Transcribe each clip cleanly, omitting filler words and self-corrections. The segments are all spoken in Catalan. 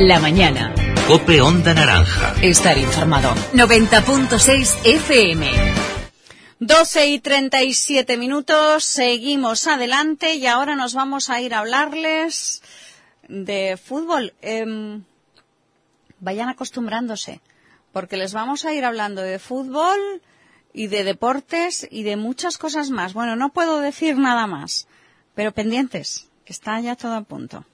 La mañana. COPE Onda Naranja. Estar informado. 90.6 FM. 12:37, seguimos adelante y ahora nos vamos a ir a hablarles de fútbol. Vayan acostumbrándose, porque les vamos a ir hablando de fútbol y de deportes y de muchas cosas más. Bueno, no puedo decir nada más, pero pendientes, que está ya todo a punto.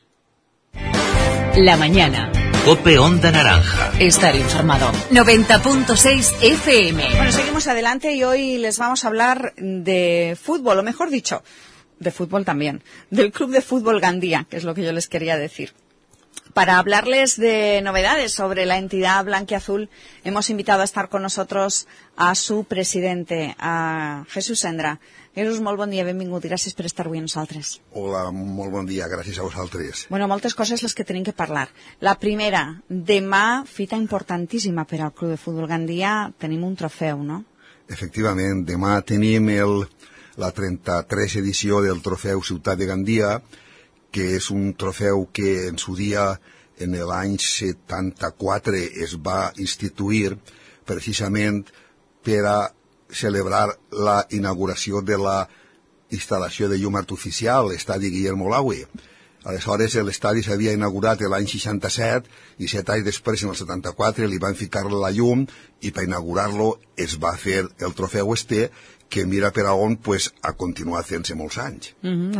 La mañana. COPE Onda Naranja. Estar informado. 90.6 FM. Bueno, seguimos adelante y hoy les vamos a hablar de fútbol, o mejor dicho, de fútbol también, del Club de Fútbol Gandía, que es lo que yo les quería decir. Para hablarles de novedades sobre la entidad blanquiazul, hemos invitado a estar con nosotros a su presidente, a Jesús Sendra. Jesús, molt bon dia, benvingut i gràcies per estar avui amb nosaltres. Hola, molt bon dia, gràcies a vosaltres. Bueno, moltes coses les que tenim que parlar. La primera, demà, fita importantíssima per al Club de Futbol Gandia, tenim un trofeu, no? Efectivament, demà tenim la 33 edició del trofeu Ciutat de Gandia, que és un trofeu que en su dia, en l'any 74, es va instituir precisament per a celebrar la inauguració de la instal·lació de llum artificial, l'estadi Guillermo Laue. Aleshores, l'estadi s'havia inaugurat l'any 67 i 7 anys després, en el 74, li van ficar la llum i per inaugurar-lo es va fer el trofeu que mira per a on pues, ha continuat fent-se molts anys.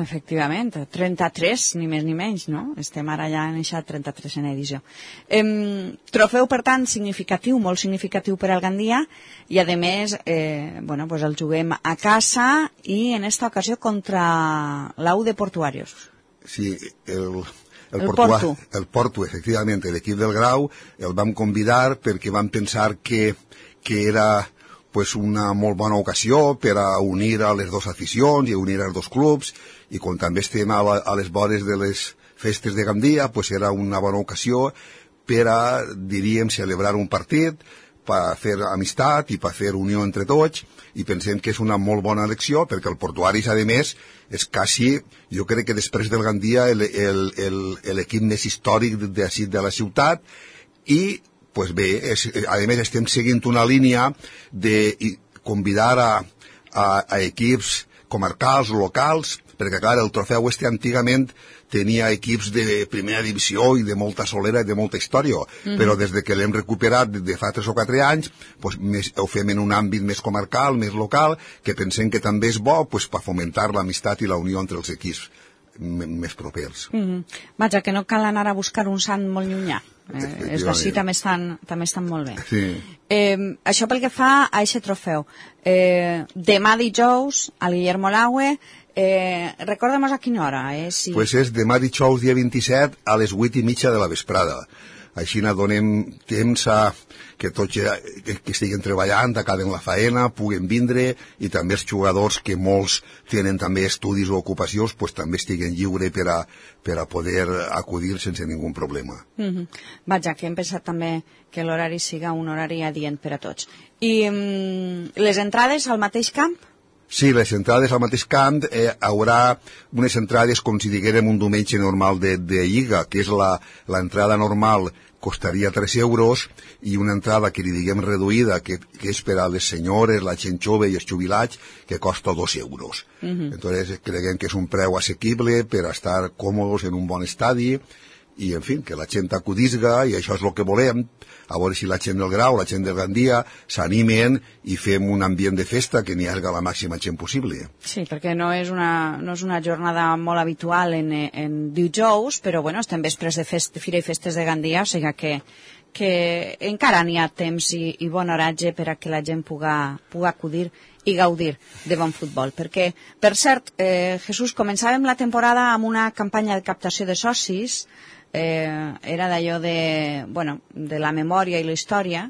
Efectivament, 33, ni més ni menys, no? Estem ara ja en aquesta 33 edició. Trofeu, per tant, significatiu, molt significatiu per al Gandia, i a més, bueno, pues el juguem a casa i en esta ocasió contra l'Au de Portuarios. Sí, el Porto, efectivament, l'equip del Grau el vam convidar perquè vam pensar que era pues una molt bona ocasió per a unir a les dues aficions i unir als dos clubs, i com també estem a les vores de les festes de Gandia, pues era una bona ocasió per a, diríem, celebrar un partit, per fer amistat i per fer unió entre tots, i pensem que és una molt bona elecció, perquè el Portuaris, a més, és quasi, jo crec que després del Gandia, l'equip més històric de la ciutat, i pues bé, a més estem seguint una línia de convidar a equips comarcals, locals, perquè clar, el trofeu antigament tenia equips de primera divisió i de molta solera i de molta història, però des que l'hem recuperat de fa 3 o 4 anys, pues, ho fem en un àmbit més comarcal, més local, que pensem que també és bo pues, per fomentar l'amistat i la unió entre els equips més propers. Vaja, que no cal anar a buscar un sant molt llunyà. Els d'ací també estan molt bé. Sí. Això pel que fa a aquest trofeu. Demà dijous, al Guillermo Laue, recorda'm a quina hora. Si... Pues és demà dijous, dia 27, a les 8:30 de la vesprada. Així donem temps a que tots que estiguen treballant, acaben la faena, puguen vindre, i també els jugadors, que molts tenen també estudis o ocupacions, pues també estiguen lliures per a poder acudir sense ningú problema. Vaja, que hem pensat també que l'horari siga un horari adient per a tots. I les entrades al mateix camp? Sí, les entrades al mateix camp, haurà unes entrades com si diguérem un diumenge normal de Lliga, que és l'entrada normal costaria 3 euros, i una entrada que li diguem reduïda, que és per a les senyores, la gent jove i els jubilats, que costa 2 euros. Entonces creiem que és un preu assequible per a estar còmodes en un bon estadi, i en fi, que la gent acudisga, i això és el que volem, a veure si la gent del Grau, la gent del Gandia s'animen i fem un ambient de festa que n'hi hagi la màxima gent possible. Sí, perquè no és una jornada molt habitual en dijous, però bueno, estem vespres de Fira i Festes de Gandia, o sigui que encara n'hi ha temps i bon horatge per a que la gent puga acudir i gaudir de bon futbol. Perquè, per cert, Jesús, començàvem la temporada amb una campanya de captació de socis, era d'allò de la memòria i la història,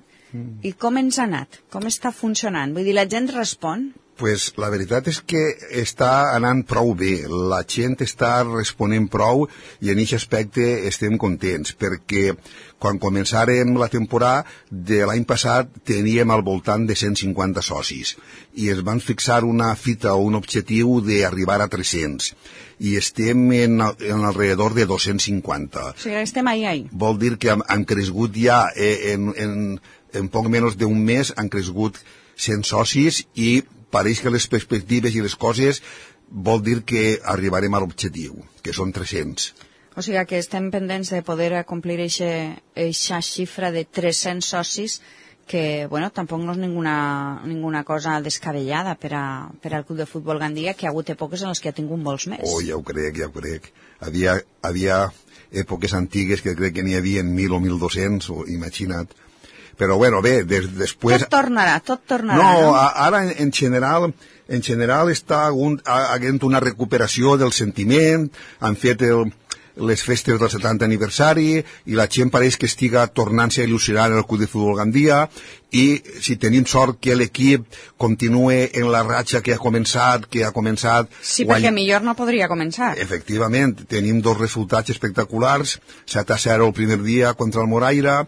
i com ens ha anat? Com està funcionant? Vull dir, la gent respon? Pues la veritat és que està anant prou bé, la gent està responent prou i en aquest aspecte estem contents, perquè quan començàrem la temporada de l'any passat teníem al voltant de 150 socis i es van fixar una fita o un objectiu d'arribar a 300 i estem en alrededor de 250. O sigui, estem ahí. Vol dir que hem crescut ja en poc menys d'un mes, han crescut 100 socis i pareix que les perspectives i les coses vol dir que arribarem a l'objectiu, que són 300. O sigui que estem pendents de poder complir eixa xifra de 300 socis que, bueno, tampoc no és ninguna cosa descabellada per al Club de Futbol Gandia, que ha hagut èpoques en les que ha tingut molts més. Oh, ja ho crec. Havia èpoques antigues que crec que n'hi havia 1.000 o 1.200, imagina't. Però, bueno, bé, després... Tot tornarà. No, ara, en general està havent una recuperació del sentiment, han fet les festes del 70 aniversari i la gent pareix que estiga tornant-se a il·lusionar en el Club de Futbol Gandia i si tenim sort que l'equip continue en la ratxa que ha començat... Sí, perquè millor no podria començar. Efectivament, tenim 2 resultats espectaculars, 7-0 el primer dia contra el Moraira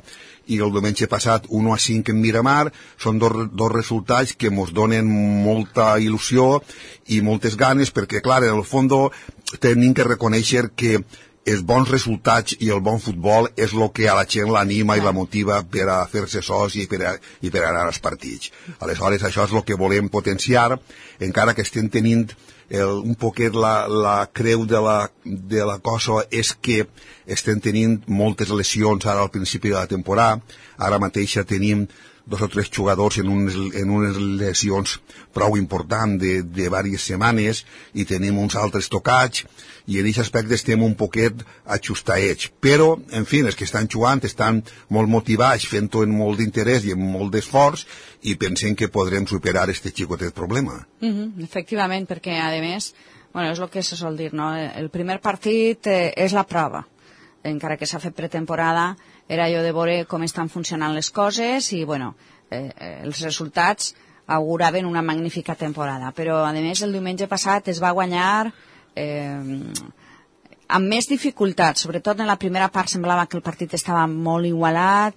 i el diumenge passat 1-5 en Miramar. Són dos resultats que ens donen molta il·lusió i moltes ganes perquè, clar, en el fons tenim que reconèixer que els bons resultats i el bon futbol és el que a la gent l'anima i la motiva per a fer-se soci i per anar als partits. Aleshores, això és el que volem potenciar, encara que estem tenint un poquet la creu de la cosa és que estem tenint moltes lesions ara al principi de la temporada. Ara mateix tenim 2 o 3 jugadors en unes lesions prou importants de diverses setmanes i tenim uns altres tocats i en aquest aspecte estem un poquet ajustadets. Però, en fi, els que estan jugant estan molt motivats, fent-ho amb molt d'interès i amb molt d'esforç i pensem que podrem superar aquest xicotet problema. Efectivament, perquè, a més, bueno, és el que se sol dir, no? El primer partit és la prova. Encara que s'ha fet pretemporada, era allò de veure com estan funcionant les coses i, bueno, els resultats auguraven una magnífica temporada. Però, a més, el diumenge passat es va guanyar amb més dificultats. Sobretot en la primera part semblava que el partit estava molt igualat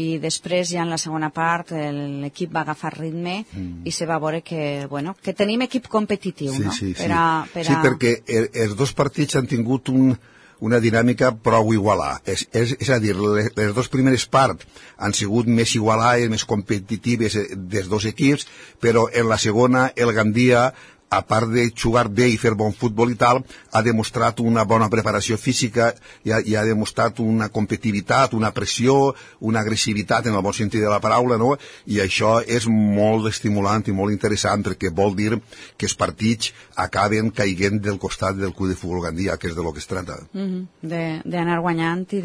i després ja en la segona part l'equip va agafar ritme i se va veure que, bueno, que tenim equip competitiu, no? Sí, perquè els 2 partits han tingut una dinàmica prou igualada. És a dir, les 2 primeres parts han sigut més igualades, més competitives dels 2 equips, però en la segona el Gandia, a part de jugar bé i fer bon futbol i tal, ha demostrat una bona preparació física i ha demostrat una competitivitat, una pressió, una agressivitat en el bon sentit de la paraula, no? I això és molt estimulant i molt interessant perquè vol dir que els partits acaben caiguent del costat del Club de Futbol Gandia, que és de lo que es tracta. D'anar guanyant i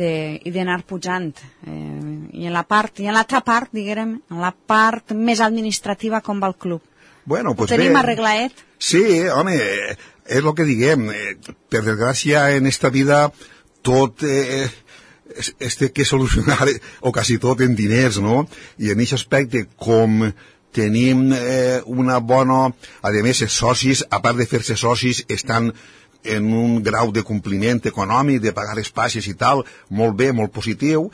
d'anar pujant. I en l'altra part, diguem, en la part més administrativa, com va el club? Bueno, pues tenim arreglaet? Sí, home, és el que diguem. Per desgràcia, en esta vida tot es té que solucionar, o quasi tot, en diners, no? I en aquest aspecte, com tenim una bona... A més, els socis, a part de fer-se socis, estan en un grau de compliment econòmic, de pagar espacis i tal, molt bé, molt positiu.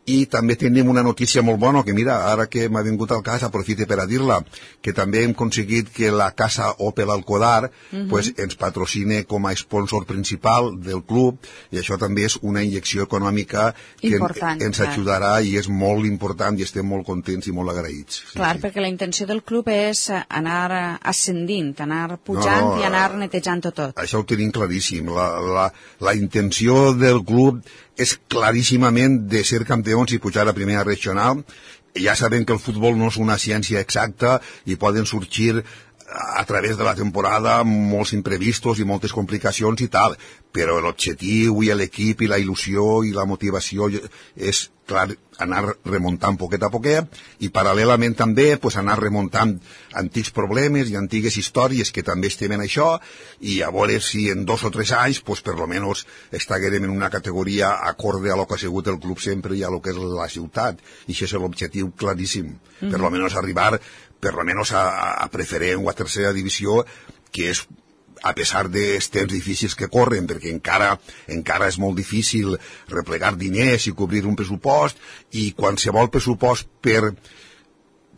I també tenim una notícia molt bona, que mira, ara que m'ha vingut al cas, aprofite per a dir-la, que també hem aconseguit que la casa Opel Alcodar pues, ens patrocine com a sponsor principal del club, i això també és una injecció econòmica que ens ajudarà i és molt important i estem molt contents i molt agraïts. Clar, perquè la intenció del club és anar ascendint, anar pujant i anar netejant tot. Això ho tenim claríssim. La intenció del club és claríssimament de ser campions i pujar a primera regional. Ja sabem que el futbol no és una ciència exacta i poden sorgir a través de la temporada molts imprevistos i moltes complicacions i tal, però l'objectiu i l'equip i la il·lusió i la motivació és clar, anar remuntant poquet a poquet i paral·lelament també pues, anar remuntant antics problemes i antigues històries que també estem en això i a veure si en 2 o 3 anys pues, per lo menos estaguerem en una categoria acorde a lo que ha sigut el club sempre i a lo que és la ciutat i això és l'objectiu claríssim, per lo menos arribar per lo menos a preferent o a tercera divisió, que és a pesar dels temps difícils que corren, perquè encara és molt difícil replegar diners i cobrir un pressupost, i qualsevol pressupost per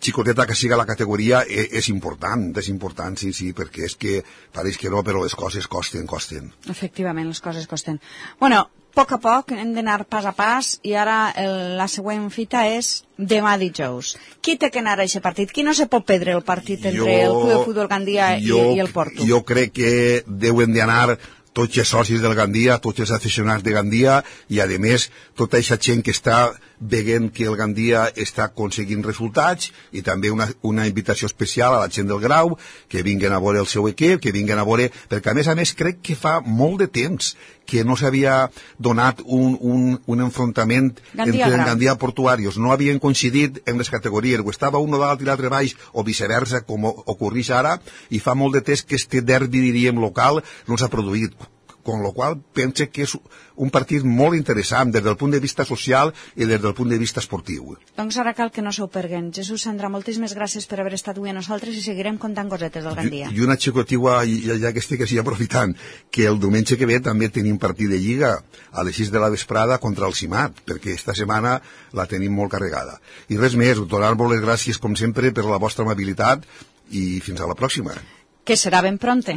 xicoteta que siga la categoria és important, sí, perquè és que pareix que no, però les coses costen. Efectivament, les coses costen. Bueno, a poc hem d'anar pas a pas i ara la següent fita és demà dijous. Qui té que anar a aquest partit? Qui no se pot perdre el partit entre el Club de Futbol Gandia i el Porto? Jo crec que deuen d'anar tots els socis del Gandia, tots els aficionats de Gandia i, a més, tota aquesta gent que està veient que el Gandia està aconseguint resultats i també una invitació especial a la gent del Grau, que vinguen a veure el seu equip, que vinguen a veure... Perquè, a més, crec que fa molt de temps que no s'havia donat un enfrontament entre el Gandia i Portuarios. No havien coincidit en les categories, o estava un dalt i l'altre baix, o viceversa, com ocorreix ara, i fa molt de temps que este derbi, diríem, local no s'ha produït. Con lo qual penso que és un partit molt interessant des del punt de vista social i des del punt de vista esportiu. Doncs ara cal que no s'ho perguen. Jesús Sandra, moltíssimes gràcies per haver estat avui a nosaltres i seguirem contant cosetes del Gandia. I una xicotiua, ja que estic així aprofitant, que el diumenge que ve també tenim partit de Lliga a les 6 de la vesprada contra el Simat, perquè esta setmana la tenim molt carregada. I res més, donar-vos les gràcies com sempre per la vostra amabilitat i fins a la pròxima. Que será ben pronto.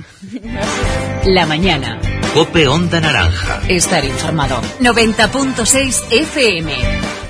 La mañana. COPE Onda Naranja. Estar informado. 90.6 FM.